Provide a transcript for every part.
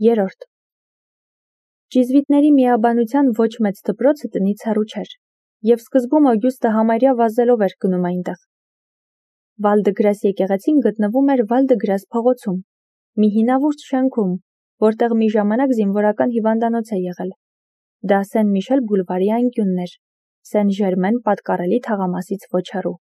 3. Ճիզվիտների միաբանության ոչ մեծ դպրոցը տնից հեռու չէր, և սկզբում Օգյուստը համարյա վազելով էր գնում այնտեղ։ Վալդգրաս եկեղեցին գտնվում էր Վալդգրաս փողոցում, մի հինավուրց շենքում, որտեղ մի ժամանակ զինվորական հիվանդանոց է եղել։ Դա Սեն Միշել բուլվարի անկյունն էր, Սեն Ժերմեն պատկառելի թաղամասից ոչ հեռու։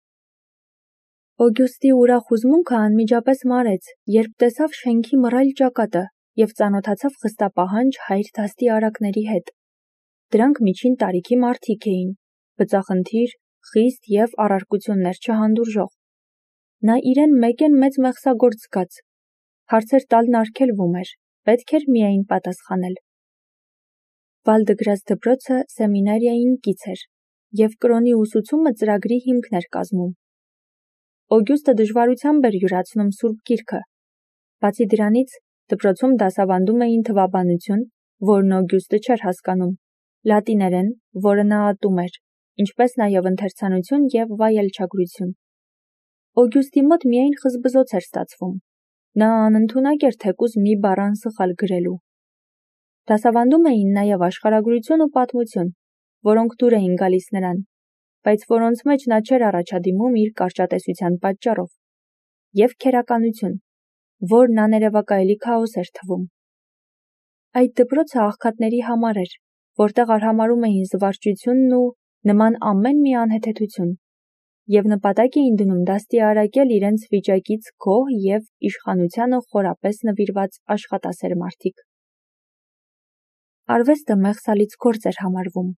Օգյուստի ուրախ հուզմունքը անմիջապես մարեց, երբ տեսավ շենքի մռայլ ճակատը և ծանոթացավ խստապահանջ հայր դաստի արակների հետ։ Դրանք միջին տարիքի մարդիկ էին, բծախնդիր, խիստ և առարկություններ չհանդուրժող։ Նա իրեն մեծ մեղսագործ զգաց։ Հարցեր տալն արգելվում էր, պետք էր միայն պատասխանել։ Վալդգրաս դպրոցը սեմինարիային կից էր, և կրոնի ուսուցումը ծրագրի հիմքն էր կազմում։ Օգյուստը դժվարությամբ էր յուրացնում Սուրբ Գիրքը։ Բացի դրանից, դպրոցում դասավանդում էին թվաբանություն, որն Օգյուստը չէր հասկանում, լատիներեն, որը նա ատում էր, ինչպես նաև ընթերցանություն և վայելչագրություն։ Օգյուստի մոտ միայն խզբզոց էր ստացվում։ Նա անընդունակ էր թեկուզ մի բառ անսխալ գրելու։ Դասավանդում էին նաև աշխարհագրություն ու պատմություն, որոնք դուր էին գալիս նրան, բայց որոնց մեջ նա չէր առաջադիմում իր կարճատեսության պատճառով, և քերականություն, որն աներևակայելի քաոս էր թվում։ Այդ դպրոցը աղքատների համար էր, որտեղ արհամարհում էին զվարճությունն ու նման ամեն մի անհեթեթություն, և նպատակ էին դնում դաստիարակել իրենց վիճակից գոհ և իշխանությանը խորապես նվիրված աշխատասեր մարդիկ։ Արվեստը մեղսալից գործ էր համարվում։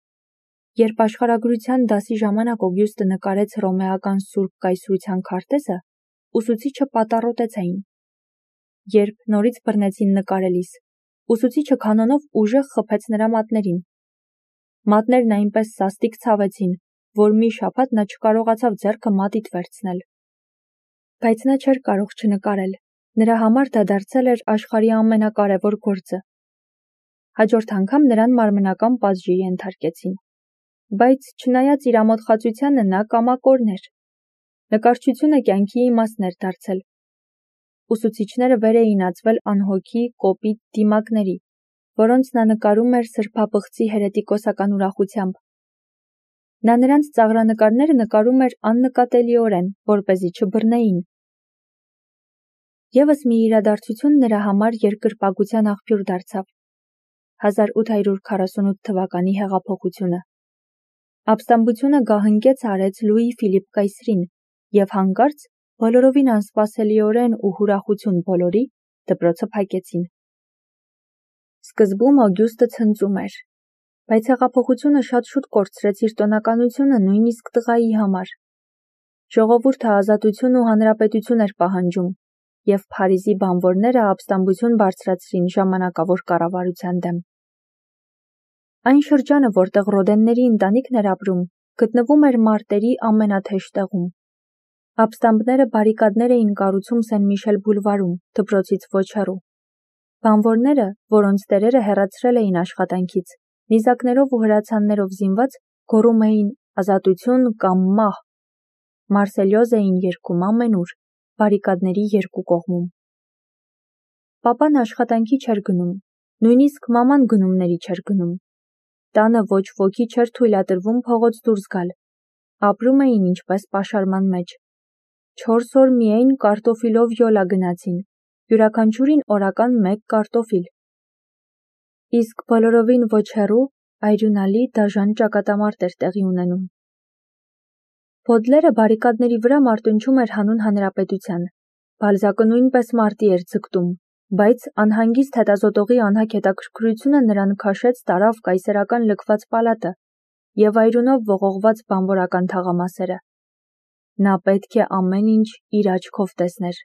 Երբ աշխարհագրության դասի ժամանակ Օգյուստը նկարեց հռոմեական Սուրբ Կայսրության քարտեզը, ուսուցիչը պատառոտեց այն։ Երբ նորից բռնեցին նկարելիս, ուսուցիչը կանոնով ուժեղ խփեց նրա մատներին։ Մատներն այնպես սաստիկ ցավեցին, որ մի շաբաթ նա չկարողացավ ձեռքը մատիտ վերցնել։ Բայց նա չէր կարող չնկարել, նրա համար դա դարձել էր աշխարհի ամենակարևոր գործը։ Հաջորդ անգամ նրան մարմնական պատժի ենթարկեցին։ Բայց չնայած իր ամոթխածությանը նա կամակորն էր։ Նկարչությունը կյանքի իմաստն էր դարձել։ Ուսուցիչները վեր էին ածվել անհոգի, կոպիտ դիմակների, որոնց նա նկարում էր սրբապղծի հերետիկոսական ուրախությամբ։ Նա նրանց ծաղրանկարները նկարում էր աննկատելիորեն, որպեսզի չբռնեին։ Եվս մի իրադարձություն նրա համար երկրպագության աղբյուր դարձավ։ 1848 թվականի հեղափոխությունը։ Ապստամբությունը գահընկեց արեց Լուի Ֆիլիպ կայսրին, և հանկարծ, բոլորովին անսպասելիորեն ու հուրախություն բոլորի, դպրոցը փակեցին։ Սկզբում Օգյուստը ցնծում էր, բայց հեղափոխությունը շատ շուտ կորցրեց իր տոնականությունը նույնիսկ տղայի համար։ Ժողովուրդը ազատություն ու հանրապետություն էր պահանջում, և Փարիզի բանվորները ապստամբություն բարձրացրին ժամանակավոր կառավարության դեմ։ Այն շրջանը, որտեղ Ռոդենների ընտանիքն էր ապրում, գտնվում էր մարտերի ամենաթեժ տեղում։ Ապստամբները բարիկադներ էին կառուցում Սեն Միշել բուլվարում, դպրոցից ոչ հեռու։ Բանվորները, որոնց տերերը հեռացրել էին աշխատանքից, նիզակներով ու հրացաններով զինված, գոռում էին «Ազատություն կամ մահ»։ Մարսելյոզ էին երգում ամենուր, բարիկադների երկու կողմում։ Պապան աշխատանքի չէր գնում, նույնիսկ մաման գնումների չէր գնում։ Տանը ոչ ոքի չէր թույլատրվում փողոց դուրս գալ։ Ապրում էին ինչպես պաշարման մեջ։ 4 օր միայն կարտոֆիլով յոլա գնացին, յուրաքանչյուրին օրական 1 կարտոֆիլ։ Իսկ բոլորովին ոչ հեռու այրունալի դաժան ճակատամարտ էր տեղի ունենում։ Բոդլերը բարիկադների վրա մարտնչում էր հանուն հանրապետության։ Բալզակը նույնպես մարտի էր ձգտում, բայց անհանգիստ հետազոտողի անհագ հետաքրքրությունը նրան քաշեց տարավ կայսերական լքված պալատը և այրունով ողողված բանվորական թաղամասերը։ Նա պետք է ամեն ինչ իր աչքով տեսներ։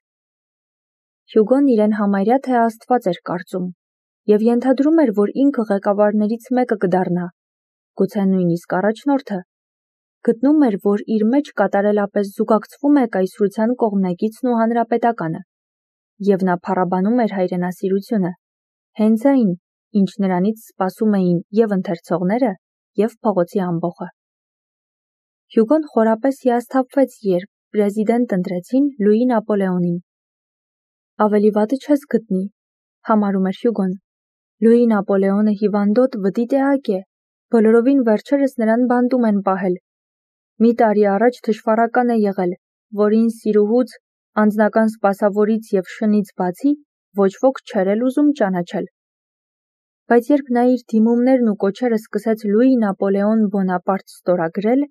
Հյուգոն իրեն համարյա թե աստված էր կարծում և ենթադրում էր, որ ինքը ղեկավարներից մեկը կդառնա, գուցե նույնիսկ առաջնորդը։ Գտնում էր, որ իր մեջ կատարելապես զուգակցվում է կայսրության կողմնակիցն ու հանրապետականը, և նա փառաբանում էր հայրենասիրությունը, հենց այն, ինչ նրանից սպասում էին և ընթերցողները, և փողոցի ամբոխը։ Հյուգոն խորապես հիասթափվեց, երբ պրեզիդենտ ընտրեցին Լուի Նապոլեոնին։ Ավելի վատը չես գտնի, համարում էր Հյուգոն, Լուի Նապոլեոնը հիվանդոտ վտի տեղակ է, բոլորովին վերջերս նրան բանտում են պահել։ Մի տարի առաջ թշվառական է եղել, որին սիրուհուց, անձնական սպասավորից և շնից բացի ոչ ոք չէր էլ ուզում ճանաչել։ Բայց երբ նա իր դիմումներն ու կոչերը սկսեց Լուի Նապոլեոն Բոնապարտ ստորագրել,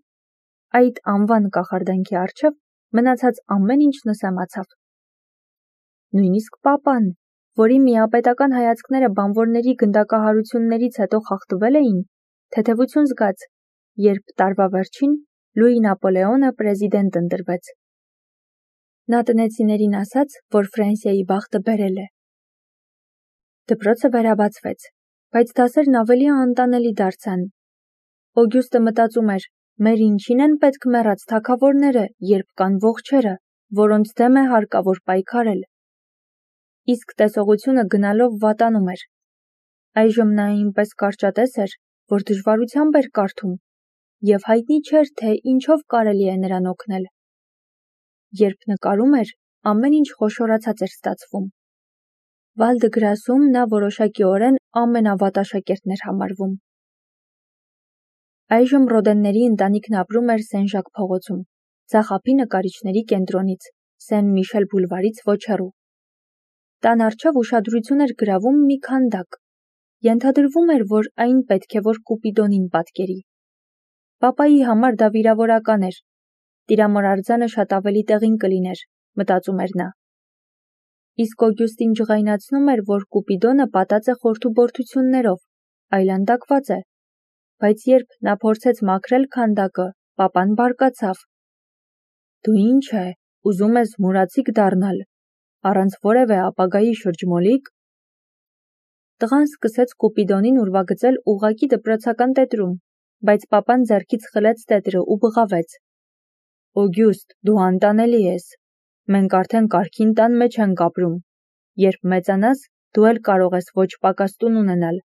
այդ անվան կախարդանքի առջև մնացած ամեն ինչ նսեմացավ։ Նույնիսկ պապան, որի միապետական հայացքները բանվորների գնդակահարություններից հետո խախտվել էին, թեթևություն զգաց, երբ տարվա վերջին Լուի Նապոլեոնը պրեզիդենտ ընտրվեց։ Նա տնեցիներին ասաց, որ Ֆրանսիայի բախտը բերել է։ Դպրոցը վերաբացվեց, բայց դասերն ավելի անտանելի դարձան։ Օգյուստը մտածում էր, մեր ինչին են պետք մեռած թագավորները, երբ կան ողջերը, որոնց դեմ է հարկավոր պայքարել։ Իսկ տեսողությունը գնալով վատանում էր։ Այժմ նա այնպես կարճատես էր, որ դժվարությամբ էր կարդում, և հայտնի չէր, թե ինչով կարելի է նրան օգնել։ Երբ նկարում էր, ամեն ինչ խոշորացած էր ստացվում։ Վալ դը Գրասում նա որոշակիորեն ամենավատաշակերտն էր համարվում։ Այժմ Ռոդենների ընտանիքն ապրում էր Սեն-Ժակ փողոցում, ձախ ափի նկարիչների կենտրոնից, Սեն Միշել բուլվարից ոչ հեռու։ Տան առջև ուշադրություն էր գրավում մի քանդակ։ Ենթադրվում էր, որ այն պետք է որ Կուպիդոնին պատկերի։ Պապայի համար դա վիրավորական էր։ Տիրամոր արձանը շատ ավելի տեղին կլիներ, մտածում էր նա։ Իսկ Օգյուստին ջղայնացնում էր, որ Կուպիդոնը պատած է խորթուբորթություններով, այլանդակված է։ Բայց երբ նա փորձեց մաքրել քանդակը, պապան բարկացավ։ Դու ինչ է, ուզում ես մուրացիկ դառնալ, առանց որևէ ապագայի շրջմոլիկ։ Տղան սկսեց Կուպիդոնին ուրվագծել ուղղակի դպրոցական տետրում, բայց պապան ձեռքից խլեց տետրը ու բղավեց. Օգյուստ, դու անտանելի ես։ Մենք արդեն կարգին տան մեջ ենք ապրում։ Երբ մեծանաս, դու էլ կարող ես ոչ պակաս տուն ունենալ։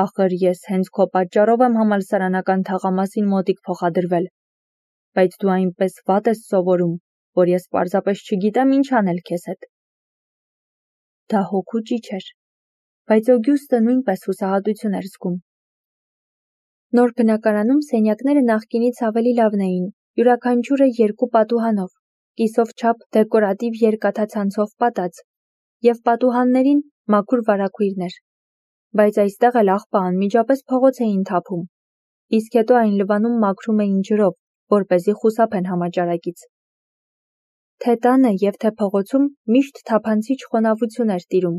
Ախր ես հենց քո պատճառով եմ համալսարանական թաղամասին մոտիկ փոխադրվել։ Բայց դու այնպես վատ ես սովորում, որ ես պարզապես չգիտեմ ինչ անել քեզ հետ։ Դա հոգու ճիչ էր, բայց Օգյուստը նույնպես հուսահատություն էր զգում։ Նոր բնակարանում սենյակները նախկինից ավելի լավն էին, յուրաքանչյուրը 2 պատուհանով, կիսով չափ դեկորատիվ երկաթացանցով պատած, և պատուհաններին մաքուր վարագույրներ։ Բայց այստեղ էլ աղբը անմիջապես փողոց էին թափում, իսկ հետո այն լվանում մաքրում էին ջրով, որպեսզի խուսափեն համաճարակից։ Թե տանը և թե փողոցում միշտ թափանցիչ խոնավություն էր տիրում,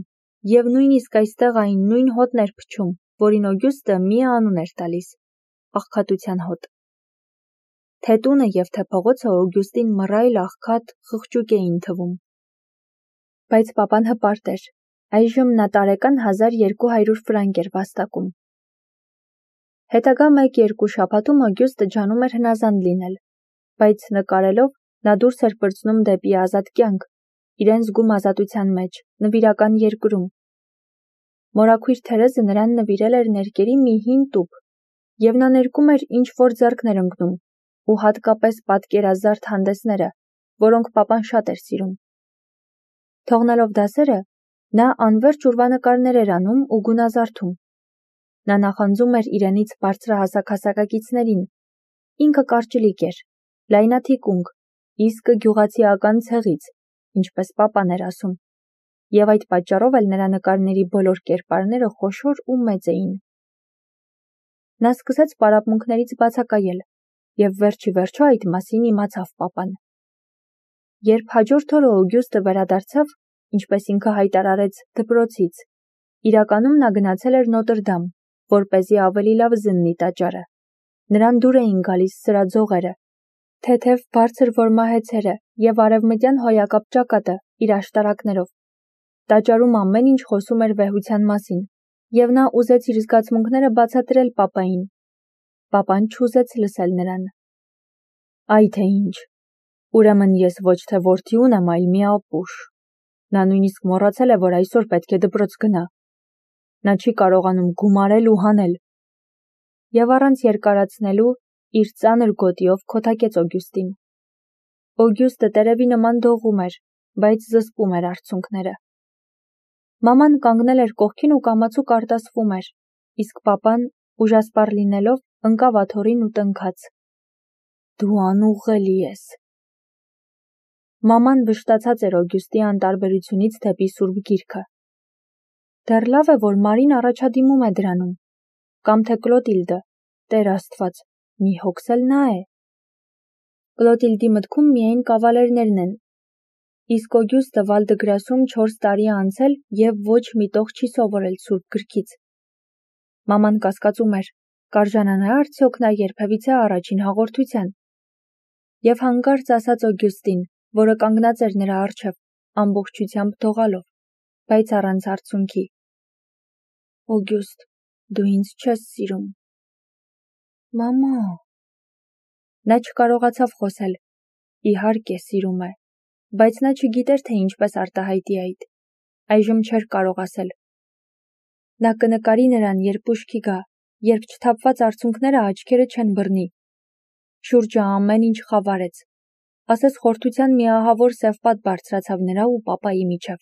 և նույնիսկ այստեղ այն նույն հոտն էր փչում, որին Օգյուստը մի անուն էր տալիս՝ աղքատության հոտ։ Թե տունը և թե փողոցը Օգյուստին մռայլ, աղքատ, խղճուկ էին թվում։ Բայց պապան հպարտ էր, այժմ նա տարեկան 1200 ֆրանկ էր վաստակում։ Հետագա 1-2 շաբաթում Օգյուստը ջանում էր հնազանդ լինել, բայց նկարելով նա դուրս էր պրծնում դեպի ազատ կյանք, իրեն զգում ազատության մեջ, նվիրական երկրում։ Մորաքույր Թերեզը նրան նվիրել էր ներկերի մի հին տուփ, և նա ներկում էր ինչ-որ ձեռքն էր ընկնում, ու հատկապես պատկերազարդ հանդեսները, որոնք պապան շատ էր սիրում։ Թողնելով դասերը, նա անվերջ ուրվանկարներ էր անում ու գունազարդում։ Նա նախանձում էր իրենից բարձրահասակ հասակակիցներին։ Ինքը կարճլիկ էր, լայնաթիկունք, իսկը գյուղացիական ցեղից, ինչպես պապան էր ասում, և այդ պատճառով էլ նրա նկարների բոլոր կերպարները խոշոր ու մեծ էին։ Նա սկսեց պարապմունքներից բացակայել, և վերջիվերջո այդ մասին իմացավ պապան։ Երբ հաջորդ օրը Օգյուստը վերադարձավ, ինչպես ինքը հայտարարեց, դպրոցից, իրականում նա գնացել էր Նոտրդամ, որպեսզի ավելի լավ զննի տաճարը։ Նրան դուր էին գալիս սրա ձողերը, թեթև բարձր որմահեցերը և արևմտյան հոյակապ ճակատը իր աշտարակներով։ Տաճարում ամեն ինչ խոսում էր վեհության մասին, և նա ուզեց իր զգացմունքները բացատրել պապային։ Պապան չուզեց լսել նրան։ Այ թե ինչ, ուրեմն ես ոչ թե որդի ունեմ, այլ մի ապուշ։ Նա նույնիսկ մոռացել է, որ այսօր պետք է դպրոց գնա։ Նա չի կարողանում գումարել ու հանել։ Եվ առանց երկարացնելու իր ծանր գոտիով քոթակեց Օգյուստին։ Օգյուստը տերևի նման դողում էր, բայց զսպում էր արցունքները։ Մաման կանգնել էր կողքին ու կամացուկ արտասվում էր, իսկ պապան, ուժասպառ լինելով, ընկավ աթոռին ու տնքաց. «Դու անուղղելի ես»։ Մաման վշտացած էր Օգյուստի անտարբերությունից դեպի Սուրբ Գիրքը։ Դեռ լավ է, որ Մարին առաջադիմում է դրանում, կամ թե Կլոտիլդը, Տեր Աստված, մի հոգս էլ նա է։ Կլոտիլդի մտքում միայն կավալերներն են, իսկ Օգյուստը Վալ-դը-Գրասում 4 տարի է անցել և ոչ մի տող չի սովորել Սուրբ Գրքից։ Մաման կասկածում էր, կարժանանա՞ արդյոք նա երբևիցե առաջին հաղորդության։ Եվ հանկարծ ասաց Օգյուստին, որը կանգնած էր նրա առջև, ամբողջությամբ դողալով, բայց առանց արցունքի. «Օգյուստ, դու ինձ չես սիրում»։ Մամա։ Նա չկարողացավ խոսել. իհարկե սիրում է, բայց նա չգիտեր, թե ինչպես արտահայտի այդ։ Այժմ չէր կարող ասել։ Նա կնկարի նրան, երբ ուշքի գա, երբ չթափված արցունքները աչքերը չեն բռնի։ Շուրջը ամեն ինչ խավարեց։ Ասես խորթության մի ահավոր սև պատ բարձրացավ նրա ու պապայի միջև։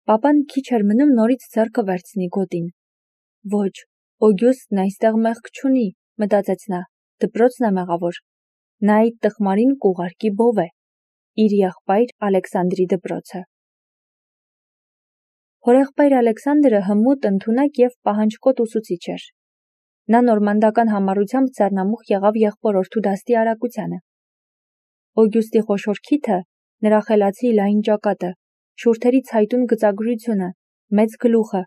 Պապան քիչ էր մնում նորից ձեռքը վերցնի գոտին։ Ոչ, Օգյուստն այստեղ մեղք չունի, մտածեց նա, դպրոցն է մեղավոր։ Նա այդ տխմարին կուղարկի բով է, իր եղբայր Ալեքսանդրի դպրոցը։ Հորեղբայր Ալեքսանդրը հմուտ, ընդունակ և պահանջկոտ ուսուցիչ էր։ Նա նորմանդական համառությամբ ձեռնամուխ եղավ եղբորորդու դաստի արագությանը։ Օգյուստի խոշոր քիթը, նրա խելացի լայն ճակատը, շուրթերի ցայտուն գծագրությունը, մեծ գլուխը,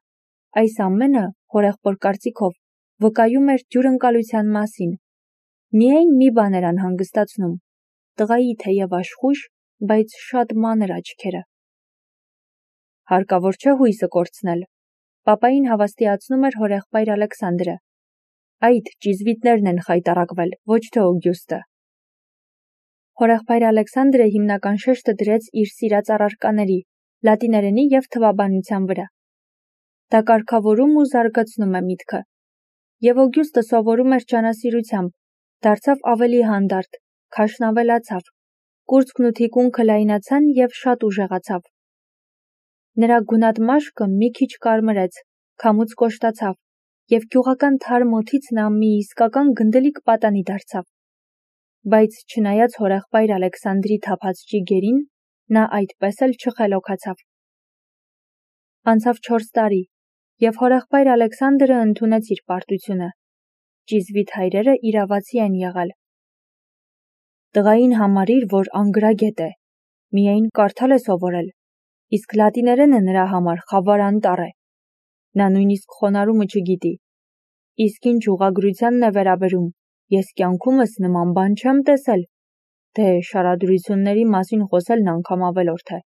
այս ամենը, հորեղբոր կարծիքով, վկայում էր ջուրընկալության մասին։ Միայն մի բան էր անհանգստացնում. տղայի թեև աշխույժ, բայց շատ մանր աչքերը։ Հարկավոր չէ հույսը կորցնել։ Պապային հավաստիացնում էր հորեղբայր Ալեքսանդրը։ Այդ ճիզվիտներն են խայտառակվել, ոչ թե Օգյուստը։ Հորեղբայր Ալեքսանդրը հիմնական շեշտը դրեց իր սիրած առարկաների, լատիներենի և թվաբանության վրա։ Դա կարգավորում ու զարգացնում է միտքը։ Եվ Օգյուստը սովորում էր ջանասիրությամբ, դարձավ ավելի հանդարտ, քաշն ավելացավ, կուրծքն ու թիկունքը լայնացան և շատ ուժեղացավ։ Նրա գունատ մաշկը մի քիչ կարմրեց, քամուց կոշտացավ, և գյուղական թարմ օդից նա մի իսկական գնդելիկ պատանի դարձավ։ Բայց չնայած հորեղբայր Ալեքսանդրի թափած ճիգերին, նա այդպես էլ չխելոքացավ։ Անցավ 4 տարի, և հորեղբայր Ալեքսանդրը ընդունեց իր պարտությունը։ Ճիզվիտ հայրերը իրավացի են եղել։ Տղային համարիր, որ անգրագետ է, միայն կարդալ է սովորել, իսկ լատիներենը նրա համար խավար անտառ է։ Նա նույնիսկ խոնարհումը չգիտի։ Իսկ ինչ ուղղագրությանն է վերաբերում, ես կյանքումս նման բան չեմ տեսել, դե շարադրությունների մասին խոսելն անգամ ավելորդ է։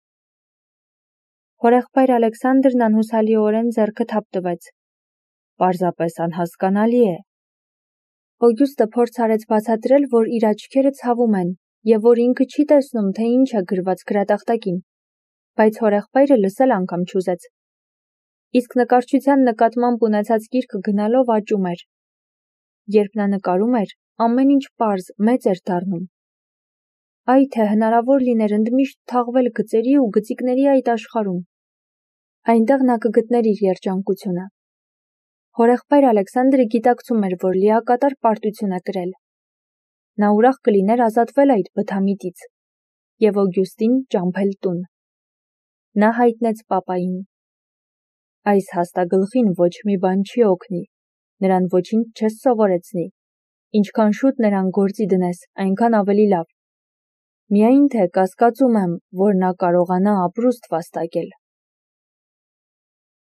Հորեղբայր Ալեքսանդրն անհուսալիորեն ձեռքը թափ տվեց։ Պարզապես անհասկանալի է։ Օգյուստը փորձ արեց բացատրել, որ իր աչքերը ցավում են, և որ ինքը չի տեսնում, թե ինչ է գրված գրատախտակին, բայց հորեղբայրը լսել անգամ չուզեց։ Իսկ նկարչության նկատմամբ ունեցած կիրքը գնալով աճում էր։ Երբ նա նկարում էր, ամեն ինչ պարզ, մեծ էր դառնում։ Այ թե հնարավոր լիներ ընդմիշտ թաղվել գծերի ու գծիկների այդ աշխարհում։ Այնտեղ նա կգտներ իր երջանկությունը։ Հորեղբայր Ալեքսանդրը գիտակցում էր, որ լիակատար պարտություն է կրել։ Նա ուրախ կլիներ ազատվել այդ բթամիտից և Օգյուստին ճամփել տուն։ Նա հայտնեց պապային։ Այս հաստագլխին ոչ մի բան չի օգնի, նրան ոչինչ չես սովորեցնի, ինչքան շուտ նրան գործի դնես, այնքան ավելի լավ։ Միայն թե կասկածում եմ, որ նա կարողանա ապրուստ վաստակել։